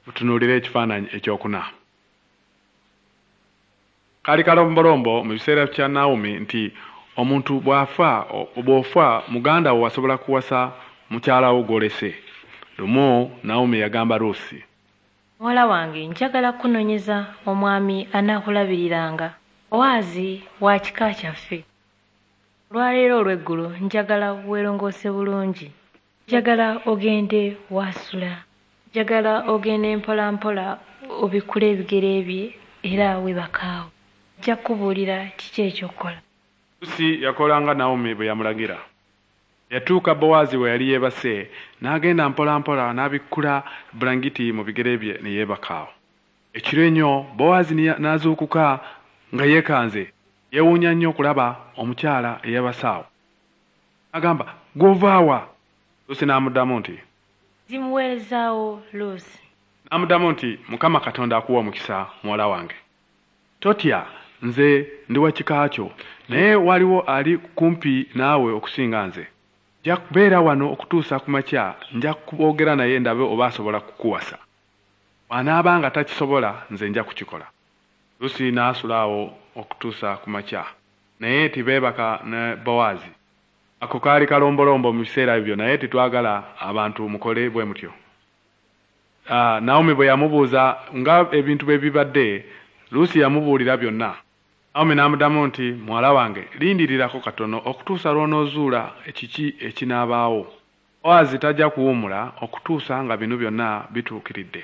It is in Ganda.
Mutunuulire ekifaananyi ekyokuna. Kaali kalombolombo mu biseera kya Nawomi nti omuntu bw'afa, bw'ofa muganda wo asobola kuwasa mukyala wo gw'olese. Lumu Nawomi yagamba Ruusi, Muwala wange, njagala kukunoonyeza omwami anaakulabiriranga. Bowaazi wa kika kyaffe. Olwaleero olweggulo njagala weerongoose bulungi. Njagala ogende w'asula. Njagala ogende mpolampola obikkule ebigere bye era weebake awo. Ajja kukubuulira kiki eky'okukola. Luusi yakola nga Nawomi bwe yamulagira. Yatuuka Bowaazi we yali yeebase, n'agenda mpolampola n'abikkula bulangiti mu bigere bye ne yeebaka awo. Ekiro ennyo Bowaazi n'azuukuka nga yeekanze. Yeewuunya nnyo okulaba omukyala eyeebase awo. N'agamba, "Ggwe ova wa?" Luusi n'amuddamu nti, Ndi muweereza wo Luusi. N'amuddamu nti, Mukama Katonda akuwe omukisa, muwala wange. Totya, nze ndi wa kika kyo, naye waliwo ali kumpi naawe okusinga nze. Nja kubeera wano okutuusa ku makya, nja kwogera naye ndabe oba asobola kukuwasa. Bw'anaaba nga takisobola, nze nja kukikola. Luusi n'asula awo okutuusa ku makya, naye tebeebaka ne Bowaazi. Ako kaali kalombolombo mu biseera ebyo naye tetwagala abantu mukole bwe mutyo. Nawomi bwe yamubuuza nga ebintu bwe bibadde, Luusi yamubuulira byonna. Nawomi n'amuddamu nti, Muwala wange, lindirirako katono okutuusa lw'onoozuula kiki ekinaabaawo. Bowaazi tajja kuwummula okutuusa nga bino byonna bituukiridde.